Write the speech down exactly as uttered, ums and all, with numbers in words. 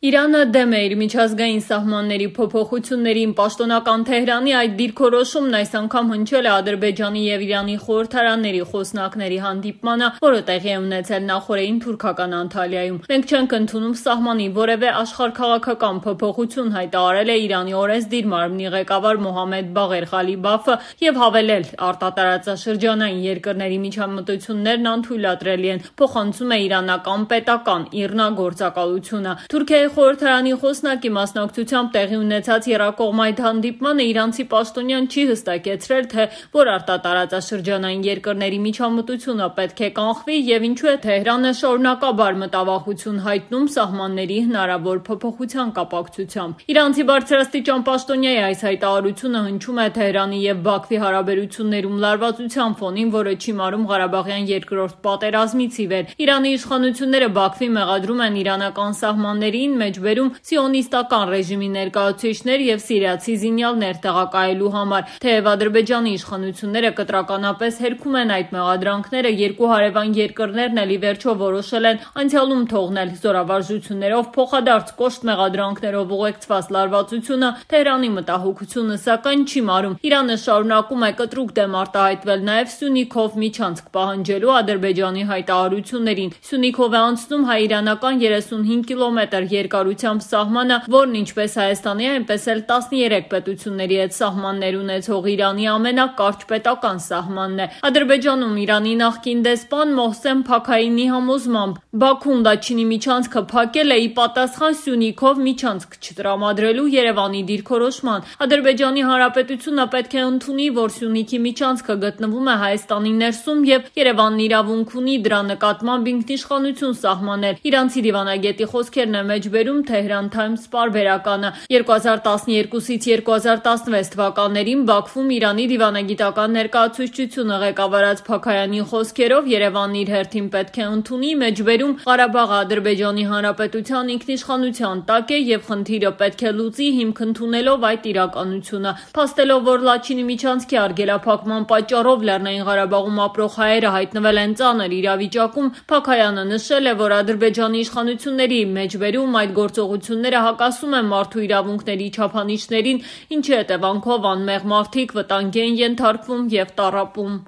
Իրանը դեմ է իր միջազգային սահմանների փոփոխություններին, պաշտոնական Թեհրանի այդ դիրքորոշումն այս անգամ հնչել է Ադրբեջանի և Իրանի խորհրդարանների խոսնակների հանդիպմանը, որը տեղի է ունեցել նախօրեին թուրքական Անտալիայում։ Մենք չենք ընդունում սահմանի որևէ աշխարհաքաղաքական փոփոխություն, հայտարարել է Իրանի օրենսդիր մարմնի ղեկավար Մոհամմեդ Բաղեր Ղալիբաֆը և հավելել՝ արտատարածաշրջանային երկրների միջամտություններն անթույլատրելի են, փոխանցում է իրանական պետական ԻՌՆԱ գործակալությունը։ Թուրքիայի խորհրդարանի խոսնակի մասնակցությամբ տեղի ունեցած եռակողմ այդ հանդիպմանը իրանցի պաշտոնյան չի հստակեցրել, թե որ արտատարածաշրջանային երկրների միջամտությունը պետք է կանխվի և ինչու է Թեհրանը շարունակաբար մտավախություն հայտնում սահմանների հնարավոր փոփոխության կապակցությամբ։ Իրանցի բարձրաստիճան պաշտոնյայի այս հայտարարությունը հնչում է Թեհրանի և Բաքվի հարաբերություններում լարվածության ֆոնին, որը չիմարում Ղարաբաղյան երկրորդ պատերազմից ի վեր։ Իրանի իշխանությունները Բաքվի մեղադրում են իրանական սահմաններին մեջբերում սիոնիստական ռեժիմի ներկայացուցիչներ և սիրիացի զինյալներ տեղակայելու համար։ Թեև Ադրբեջանի իշխանությունները կտրականապես հերքում են այդ մեղադրանքները, երկու հարևան երկրներն էլ ի վերջո որոշել են անցյալում թողնել զորավարժություններով փոխադարձ կոշտ մեղադրանքներով ուղեկցված լարվածությունը, Թեհրանի մտահոգությունը սակայն չի մարում։ Իրանը շարունակում է կտրուկ դեմ արտահայտվել նաև Սյունիքով միջանցք պահանջելու Ադրբեջանի հայտարարություններին։ Սյունիքով է անցնում հայ-իրանական երեսունհինգ կիլոմետր երկարությամբ սահմանը, որն ինչպես Հայաստանի, այնպես էլ տասներեք պետությունների հետ սահմաններ ունեցող Իրանի ամենակարճ պետական սահմանն է։ Ադրբեջանում Իրանի նախկին դեսպան Մոհսեն Փաքայինի համոզմամբ Բաքուն Լաչինի միջանցքը փակել է ի պատասխան Սյունիքով միջանցք չտրամադրելու Երևանի դիրքորոշման։ Ադրբեջանի Հանրապետությունը պետք է ընդունի, որ Սյունիքի միջանցքը գտնվում է Հայաստանի ներսում և Երևանն իրավունք ունի դրա նկատմամբ ինքնիշխանություն սահմանել։ Իրանցի դիվանագետի խոսքերն է մեջբերում Tehran Times պարբերականը։ երկու հազար տասներկուսից երկու հազար տասնվեց թվականներին Բաքվում Իրանի դիվանագիտական ներկայացուցչությունը ղեկավարած Փաքայանի խոսքերով Երևանն իր հերթին պետք է ընդունի, մեջբերում Ղարաբաղը Ադրբեջանի Հանրապետության ինքնիշխանության տակ է և խնդիրը պետք է լուծի հիմք ընդունելով այդ իրականությունը։ Փաստելով, որ Լաչինի միջանցքի արգելափակման պատճառով Լեռնային Ղարաբաղում ապրող հայերը հայտնվել են ծանր իրավիճակում, Փաքայանը նշել է, որ Ադրբեջանի իշխանությունների մեջբերում այդ գործողությունները հակասում են մարդու իրավունքների չափանիշներին, ինչի հետևանքով անմեղ մարդիկ վտանգի են ենթարկվում և տառապում։